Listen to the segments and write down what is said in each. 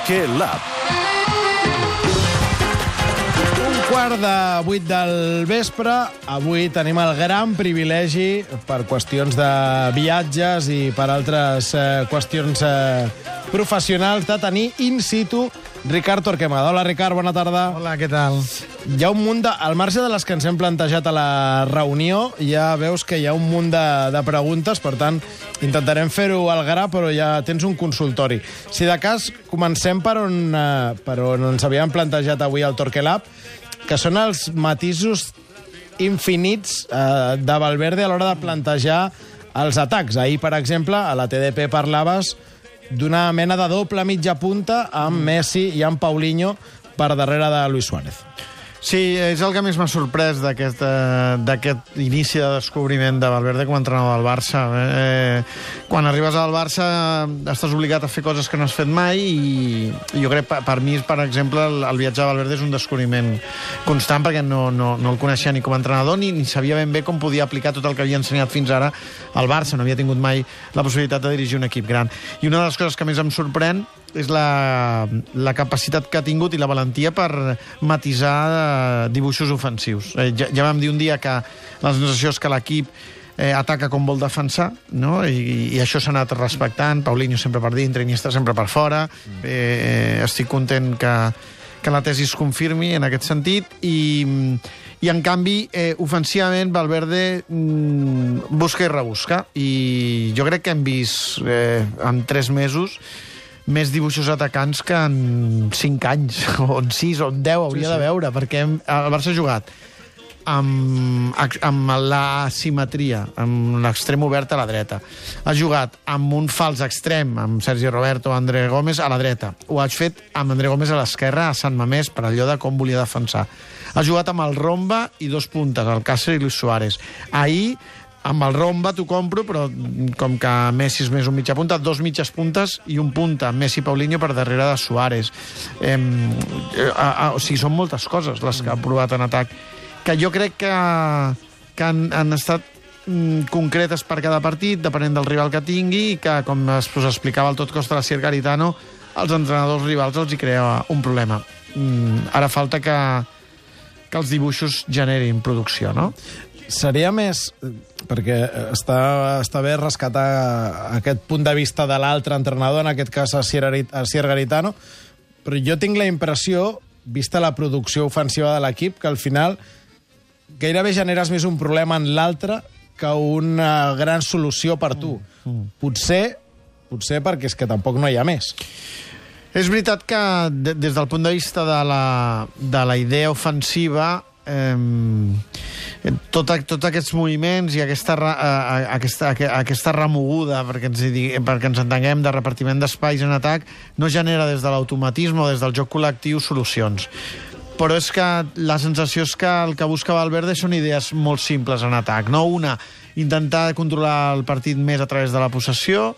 Torque Lab. 7:15 del vespre. Avui tenim el gran privilegi, per qüestions de viatges i per altres qüestions professionals, de tenir in situ Ricard Torquemada. Hola, Ricard, bona tarda. Hola, què tal? Hi ha un munt de... Al marge de les que ens hem plantejat a la reunió, ja veus que hi ha un munt de preguntes, per tant, intentarem fer-ho al gra, però ja tens un consultori. Si de cas, comencem per on ens havíem plantejat avui al Torque Lab, que són els matisos infinits de Valverde a l'hora de plantejar els atacs. Ahir, per exemple, a la TDP parlaves d'una mena de doble mitja punta amb Messi i amb Paulinho per darrere de Luis Suárez. Sí, és el que més m'ha sorprès d'aquest inici de descobriment de Valverde com a entrenador del Barça. Quan arribes al Barça estàs obligat a fer coses que no has fet mai i jo crec, per mi, per exemple, el viatge de Valverde és un descobriment constant perquè no el coneixia ni com a entrenador ni sabia ben bé com podia aplicar tot el que havia ensenyat fins ara al Barça. No havia tingut mai la possibilitat de dirigir un equip gran. I una de les coses que més em sorprèn és la capacitat que ha tingut i la valentia per matisar dibuixos ofensius. Ja vam dir un dia que la sensació és que l'equip ataca com vol defensar, no? I això s'ha anat respectant. Paulinho sempre per dintre, Iniesta sempre per fora. Estic content que la tesi es confirmi en aquest sentit i en canvi, ofensivament, Valverde busca i rebusca. I jo crec que hem vist en 3 mesos més dibuixos atacants que en 5 anys, o en 6, o en 10, hauria de veure, perquè el Barça ha jugat amb l'asimetria, amb l'extrem obert a la dreta. Ha jugat amb un fals extrem, amb Sergi Roberto o André Gómez a la dreta. Ho ha fet amb André Gómez a l'esquerra, a Sant Mamés, per allò de com volia defensar. Ha jugat amb el Romba i 2 puntes, Alcácer i Luis Suárez. Ahir, amb el Romba t'ho compro, però com que Messi és més un mitja punta, 2 mitges puntes i un punta, Messi i Paulinho per darrere de Suárez. O sigui, són moltes coses les que ha provat en atac, que jo crec que han estat concretes per cada partit, depenent del rival que tingui, i que, com us explicava el Tot Costa Lacier Garitano, als entrenadors rivals els hi crea un problema. Ara falta que els dibuixos generin producció, no? Seria més... perquè està bé rescatar aquest punt de vista de l'altre entrenador, en aquest cas Asier Garitano, però jo tinc la impressió, vista la producció ofensiva de l'equip, que al final gairebé generes més un problema en l'altre que una gran solució per tu. Potser perquè és que tampoc no hi ha més. És veritat que des del punt de vista de la idea ofensiva, tots aquests moviments i aquesta remoguda, perquè ens entenguem, de repartiment d'espais en atac, no genera des de l'automatisme o des del joc col·lectiu solucions. Però és que la sensació és que el que busca Valverde són idees molt simples en atac, no? Una, intentar controlar el partit més a través de la possessió.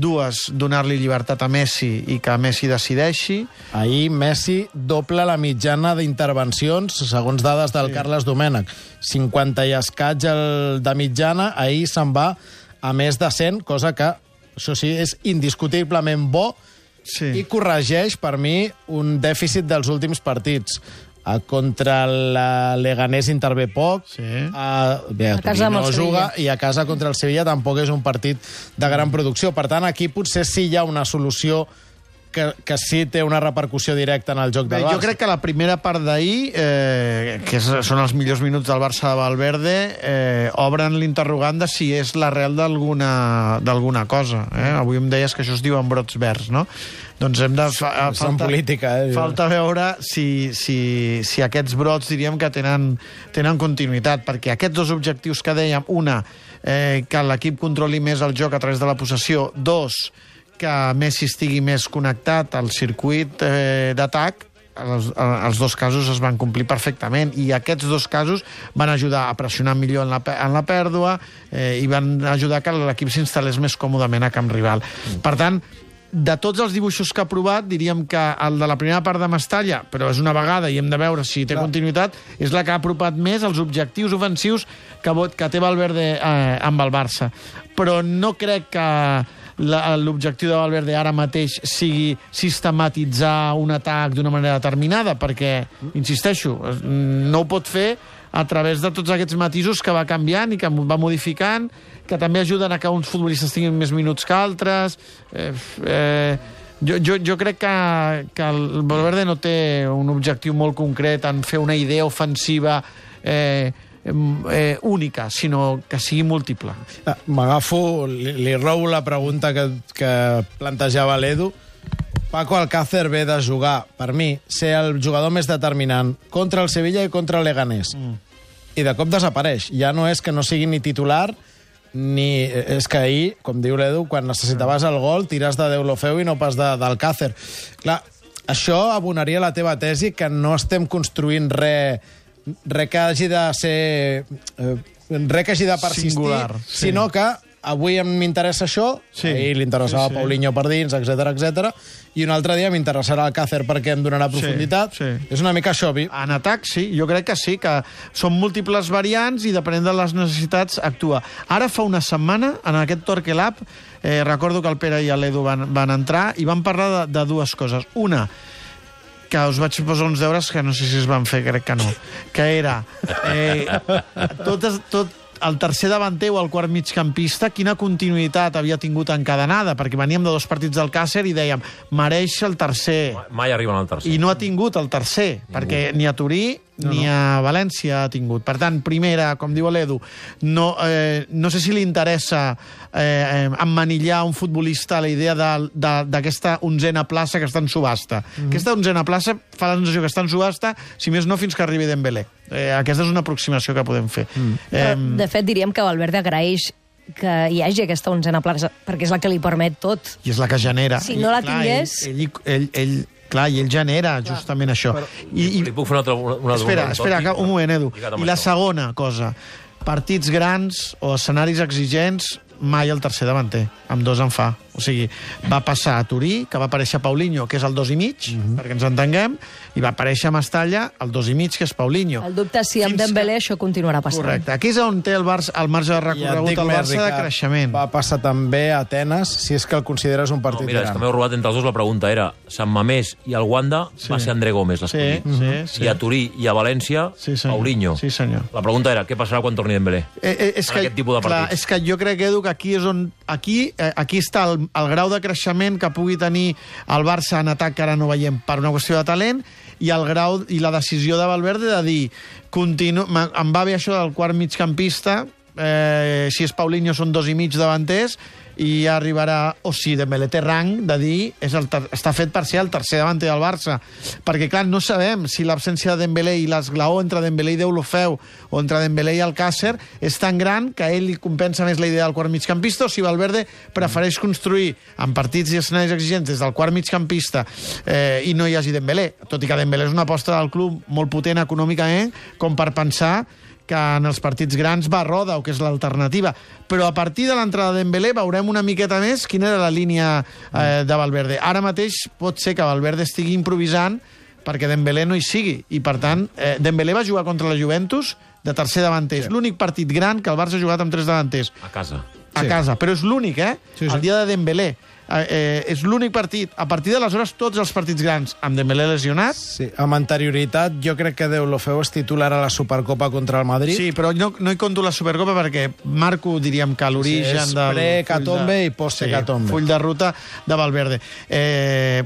2, donar-li llibertat a Messi i que Messi decideixi. Ahir Messi doble la mitjana d'intervencions, segons dades del Carles Domènech. 50 i escaig de mitjana, ahir se'n va a més de 100, cosa que, això sí, és indiscutiblement bo i corregeix, per mi, un dèficit dels últims partits. Contra el Leganés intervé poc, a casa amb el Sevilla, i a casa contra el Sevilla tampoc és un partit de gran producció. Per tant, aquí potser sí hi ha una solució que sí té una repercussió directa en el joc del Barça. Jo crec que la primera part d'ahir, que són els millors minuts del Barça de Valverde, obren l'interrogant de si és l'arrel d'alguna cosa. Avui em deies que això es diu en brots verds, no? Doncs hem de... Falta veure si aquests brots, diríem, que tenen continuïtat, perquè aquests 2 objectius que dèiem, una, que l'equip controli més el joc a través de la possessió, 2, que Messi estigui més connectat al circuit d'atac, els 2 casos es van complir perfectament, i aquests 2 casos van ajudar a pressionar millor en la pèrdua i van ajudar que l'equip s'instal·lés més còmodament a camp rival. Per tant, de tots els dibuixos que ha provat, diríem que el de la primera part de Mestalla, però és una vegada i hem de veure si té continuïtat, és la que ha apropat més els objectius ofensius que té Valverde amb el Barça. Però no crec que l'objectiu de Valverde ara mateix sigui sistematitzar un atac d'una manera determinada, perquè, insisteixo, no ho pot fer a través de tots aquests matisos que va canviant i que va modificant, que també ajuden a que uns futbolistes tinguin més minuts que altres. Jo crec que el Valverde no té un objectiu molt concret en fer una idea ofensiva única, sinó que sigui múltiple. M'agafo, li robo la pregunta que plantejava l'Edu. Paco Alcácer ve de jugar, per mi, ser el jugador més determinant contra el Sevilla i contra el Leganés. I de cop desapareix. Ja no és que no sigui ni titular, ni... És que ahir, com diu l'Edu, quan necessitaves el gol, tires de Deulofeu i no pas d'Alcácer. Clar, això abonaria la teva tesi que no estem construint res que hagi de ser... res que hagi de persistir, singular, sí. Sinó que avui m'interessa això, sí, ahir li interessava Paulinho per dins, etc, i un altre dia m'interessarà Alcácer perquè em donarà profunditat. Sí. És una mica això. En atac, sí, jo crec que sí, que són múltiples variants i depenent de les necessitats actua. Ara fa una setmana, en aquest Torque Lab, recordo que el Pere i l'Edu van entrar i van parlar de dues coses. Una, que us vaig posar uns deures que no sé si es van fer, crec que no, que era tot el tercer davanter o el quart migcampista, quina continuïtat havia tingut encadenada, perquè veníem de 2 partits del Càcer i dèiem, mereix el tercer. Mai arriben al tercer. I no ha tingut el tercer, perquè ni a Turí ni a València ha tingut. Per tant, primera, com diu l'Edu, no sé si li interessa emmanillar un futbolista a la idea d'aquesta 11a plaça que està en subhasta. Aquesta 11a plaça fa la sensació que està en subhasta, si més no fins que arribi Dembélé. Aquesta és una aproximació que podem fer. De fet, diríem que Valverde agraeix que hi hagi aquesta 11a plaça, perquè és la que li permet tot. I és la que genera. Si no la tingués... Clar, i ell genera justament això. Li puc fer una Espera, un moment, Edu. I la segona cosa, partits grans o escenaris exigents, mai el tercer davanter, amb 2 en fa. O sigui, va passar a Turí, que va aparèixer Paulinho, que és el 2,5, perquè ens entenguem, i va aparèixer a Mestalla el 2,5, que és Paulinho. El dubte és si amb Dembélé això continuarà passant. Correcte. Aquí és on té el marge de recorregut el Barça de creixement. Va passar també a Atenes, si és que el consideres un partit Mira, és que m'heu robat entre els dos. La pregunta era Sant Mamés i el Wanda va ser André Gómez l'escollit. Sí. I a Turí i a València, Paulinho. Sí, senyor. La pregunta era, què passarà quan torni Dembélé? Aquest tipus de partits. És que jo crec, Edu, que aquí és on... Aquí està el grau de creixement que pugui tenir el Barça en atac, que ara no veiem per una qüestió de talent, i el grau i la decisió de Valverde de dir em va bé això del quart migcampista, si és Paulinho són 2,5 davanters, i ja arribarà, o si Dembélé té rang de dir està fet per ser el tercer davanter del Barça, perquè clar, no sabem si l'absència de Dembélé i l'esglaó entre Dembélé i Deulofeu o entre Dembélé i Alcácer és tan gran que a ell li compensa més la idea del quart migcampista, o si Valverde prefereix construir en partits i escenaris exigents des del quart migcampista i no hi hagi Dembélé, tot i que Dembélé és una aposta del club molt potent econòmicament com per pensar que en els partits grans va a roda, o que és l'alternativa. Però a partir de l'entrada de Dembélé veurem una miqueta més quina era la línia de Valverde. Ara mateix pot ser que Valverde estigui improvisant perquè Dembélé no hi sigui. I, per tant, Dembélé va jugar contra la Juventus de tercer davanter. És l'únic partit gran que el Barça ha jugat amb 3 davanters. A casa. A casa, però és l'únic, El dia de Dembélé. És l'únic partit. A partir d'aleshores, tots els partits grans amb Dembélé lesionat. Sí, amb anterioritat, jo crec que Deulofeu és titular a la Supercopa contra el Madrid. Sí, però no hi conto la Supercopa perquè marco, diríem que l'origen del... Pre-Catombe i post-Catombe. Full de ruta de Valverde.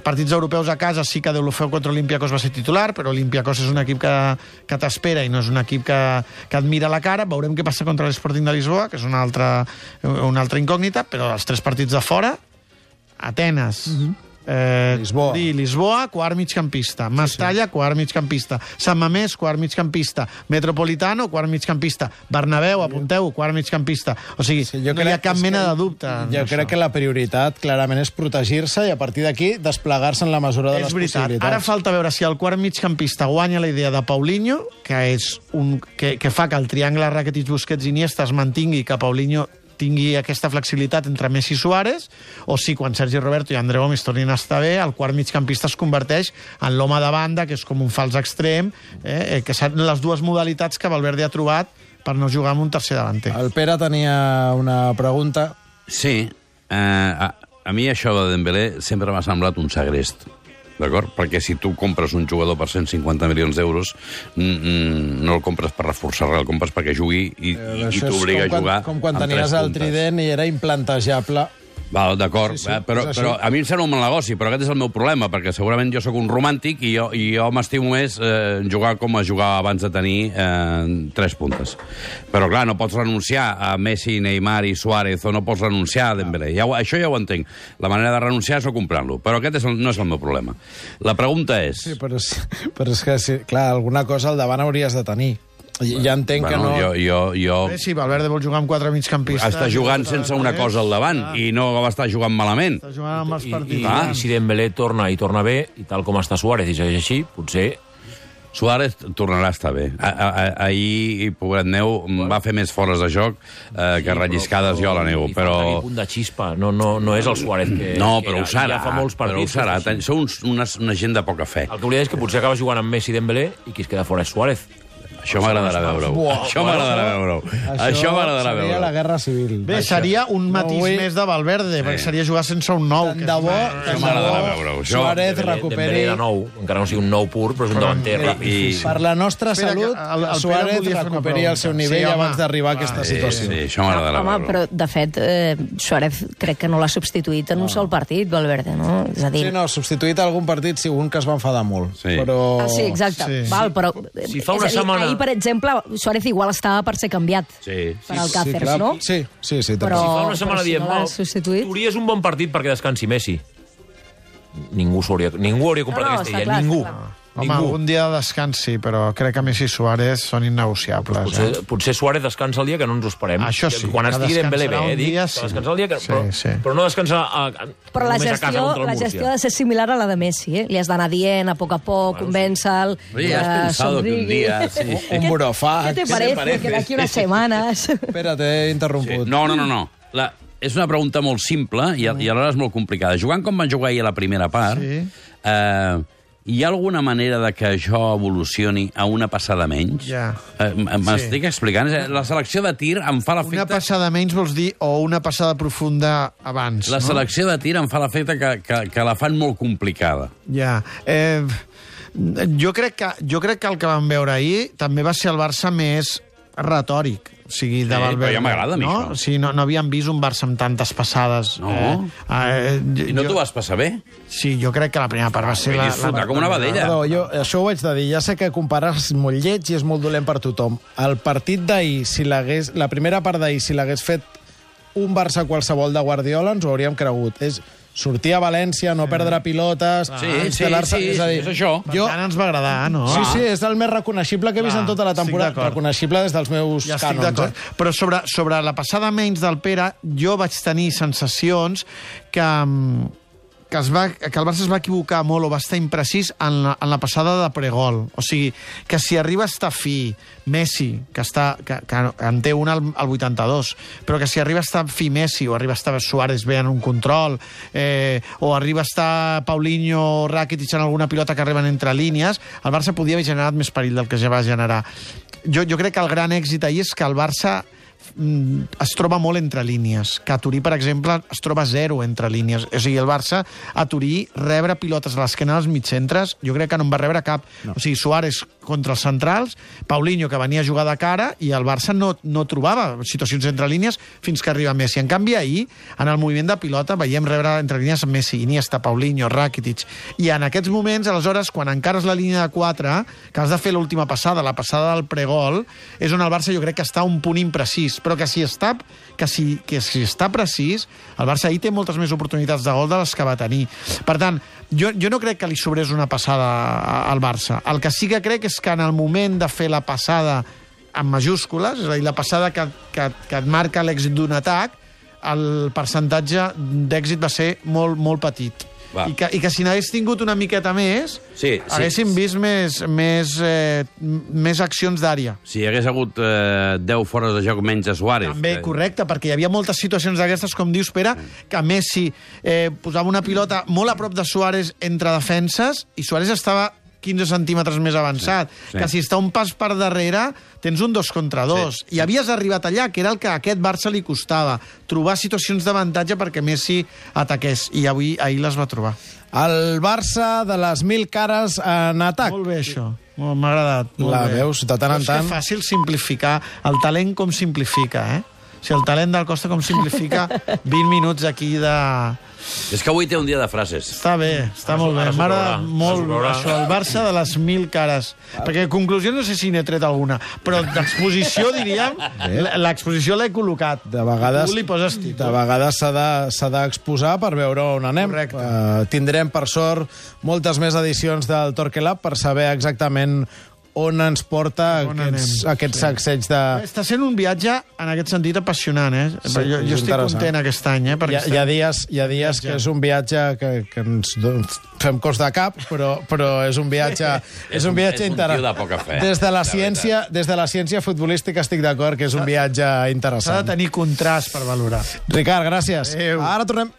Partits europeus a casa, sí que Deulofeu contra Olympiacos va ser titular, però Olympiacos és un equip que t'espera i no és un equip que et mira la cara. Veurem què passa contra l'Sporting de Lisboa, que és una altra incògnita, però els 3 partits de fora, Atenes, Lisboa, quart migcampista, Mestalla, quart migcampista, Sant Mamés, quart migcampista, Metropolitano, quart migcampista, Bernabéu, apunteu, quart migcampista. O sigui, no hi ha cap mena de dubte. Jo crec que la prioritat clarament és protegir-se i a partir d'aquí desplegar-se en la mesura de les possibilitats. Ara falta veure si el quart migcampista guanya la idea de Paulinho, que fa que el triangle Rakitic-Busquets-Iniesta es mantingui, que Paulinho tingui aquesta flexibilitat entre Messi i Suárez, o si quan Sergi Roberto i André Gómez tornin a estar bé, el quart migcampista es converteix en l'home de banda, que és com un fals extrem, que són les dues modalitats que Valverde ha trobat per no jugar amb un tercer davanter. El Pere tenia una pregunta. Sí. a mi això de Dembélé sempre m'ha semblat un segrest. D'acord? Perquè si tu compres un jugador per 150 milions d'euros, no el compres per reforçar res, el compres perquè jugui i t'obliga a jugar com quan tenies el trident i era implantejable. Val, d'acord, Sí, però a mi em sembla un mal negoci, però aquest és el meu problema, perquè segurament jo sóc un romàntic i jo m'estimo més jugar com es jugava abans de tenir 3 puntes. Però, clar, no pots renunciar a Messi, Neymar i Suárez, o no pots renunciar a Dembélé. Això ja ho entenc. La manera de renunciar és no comprant-lo, però aquest no és el meu problema. La pregunta és... Sí, però és que, sí, clar, alguna cosa al davant hauries de tenir. Ja entenc que no... Jo... Sí, Valverde vol jugar amb 4 migcampistes. Està jugant sense una cosa al davant i no va estar jugant malament. Està jugant amb els partits. I si Dembélé torna bé, i tal com està Suárez i segueix així, potser... Suárez tornarà a estar bé. Ahir, pobret meu, va fer més fores de joc que relliscades jo a la neu, però... I punt de xispa, no és el Suárez que... No, però ho serà, ja fa molts partits. Però ho serà. Sou una gent de poca fe. El que volia dir és que potser acaba jugant amb Messi i Dembélé i qui es queda fora és Suárez. Això m'agradarà veure-ho. Això m'agradarà veure-ho. Això m'agradarà veure-ho. Seria la Guerra Civil. Bé, seria un matís més de Valverde, perquè seria jugar sense un nou. Tant de bo, Això m'agradarà veure-ho. Suárez recuperi... Dembélé de nou, encara no sigui un nou pur, però és un davanter. Per la nostra salut, Suárez recuperi el seu nivell abans d'arribar a aquesta situació. Sí, això m'agradarà veure-ho. Home, però, de fet, Suárez crec que no l'ha substituït en un sol partit, Valverde, no? És a dir... Sí, no, substituït algun partit, sí, un que es va enfadar molt. Sí. Però... Sí, exacte. Val, però... Si fa una setmana... Ahir, per exemple, Suárez igual estava per ser canviat per al Cáceres, no? Sí, Però, Si fa una setmana si diem, no l'ha substituït... Turia és un bon partit perquè descansi Messi. Ningú hauria comprat aquesta idea. Ningú. Home, algun dia de descans sí, però crec que Messi i Suárez són innegociables. Potser Suárez descansa el dia que no ens ho esperem. Això sí. Quan estigui Dembélé bé, dic. Descansar el dia que... Però no descansar però la només a casa contra el gestió Múrcia. ha de ser similar a la de Messi, Li has d'anar dient a poc, convèncer-lo... Oye, has pensado que un día... Un burofax. ¿Qué te parece? Que d'aquí unes setmanes... Espera, t'he interromput. No. És una pregunta molt simple i alhora és molt complicada. Jugant com van jugar ahir a la primera part, hi ha alguna manera de que això evolucioni a una passada menys? Ja. M'estic explicant? La selecció de tir em fa l'efecte... Una passada menys vols dir, o una passada profunda abans, La selecció de tir em fa l'efecte que la fan molt complicada. Ja. Jo crec que el que vam veure ahir també va ser el Barça més retòric. O sigui, de Valverde. Però ja m'agrada a mi, no? això. O sigui, no havíem vist un Barça amb tantes passades. No. I no t'ho vas passar bé? Sí, jo crec que la primera part va ser... Vaig disfrutar com una vedella. Perdó, jo això ho haig de dir. Ja sé que comparar és molt lleig i és molt dolent per tothom. El partit d'ahir, la primera part d'ahir, si l'hagués fet un Barça qualsevol de Guardiola, ens ho hauríem cregut. És sortir a València, no perdre pilotes... instal·lar-se... és a dir, és això. Tant ens va agradar, no? Sí, és el més reconeixible que he vist en tota la temporada. Reconeixible des dels meus ja estic cànons. d'acord. Però sobre la passada menys del Pere, jo vaig tenir sensacions que el Barça es va equivocar molt o va estar imprecís en la passada de pregol. O sigui, que si arriba a estar fi Messi, que en té un al 82, però que si arriba a estar fi Messi o arriba a estar Suárez bé en un control, o arriba a estar Paulinho o Rakitic en alguna pilota que arriben entre línies, el Barça podia haver generat més perill del que ja va generar. Jo crec que el gran èxit ahir és que el Barça es troba molt entre línies, que a Turí, per exemple, es troba zero entre línies. O sigui, el Barça, a Turí, rebre pilotes a l'esquena dels mitcentres, jo crec que no en va rebre cap. No. O sigui, Suárez contra els centrals, Paulinho, que venia a jugar de cara, i el Barça no trobava situacions entre línies fins que arriba Messi. En canvi, ahir, en el moviment de pilota, veiem rebre entre línies Messi, Iniesta, Paulinho, Rakitic, i en aquests moments, aleshores, quan encara és la línia de 4, que has de fer l'última passada, la passada del pregol, és on el Barça jo crec que està un punt imprecís, però que si està precís, el Barça ahir té moltes més oportunitats de gol de les que va tenir. Per tant, jo no crec que li sobrés una passada al Barça. El que sí que crec és que en el moment de fer la passada amb majúscules, és a dir, la passada que et marca l'èxit d'un atac, el percentatge d'èxit va ser molt, molt petit. I que si n'hagués tingut una miqueta més, haguéssim vist més accions d'àrea. Si hi hagués hagut 10 fores de joc menys a Suárez. També, correcte, perquè hi havia moltes situacions d'aquestes, com dius, Pere, que Messi posava una pilota molt a prop de Suárez entre defenses i Suárez estava 15 centímetres més avançat, que si està un pas per darrere tens un 2 contra 2, i havies arribat allà, que era el que a aquest Barça li costava, trobar situacions d'avantatge perquè Messi ataqués, i ahir les va trobar. El Barça de les 1000 cares en atac. Molt bé, això. M'ha agradat. La veus de tant en tant. És que fàcil simplificar. El talent com simplifica, eh? Si el talent del Costa com simplifica 20 minuts aquí de... És que avui té un dia de frases. Està bé, està molt bé. M'agrada molt això, el Barça de les 1000 cares. Perquè conclusió no sé si n'he tret alguna, però d'exposició, diríem, l'exposició l'he col·locat. De vegades, tu li poses títol. De vegades s'ha d'exposar per veure on anem. Tindrem, per sort, moltes més edicions del Torquelab per saber exactament on ens porta aquest sacseig de... Està sent un viatge, en aquest sentit, apassionant, eh? Sí, jo estic content aquest any, eh? Hi ha dies que és un viatge que ens fem cos de cap, però és un viatge és un interessant. tio de poca fe. Des de la ciència futbolística estic d'acord que és un viatge interessant. S'ha de tenir contrast per valorar. Ricard, gràcies. Adéu. Ara tornem...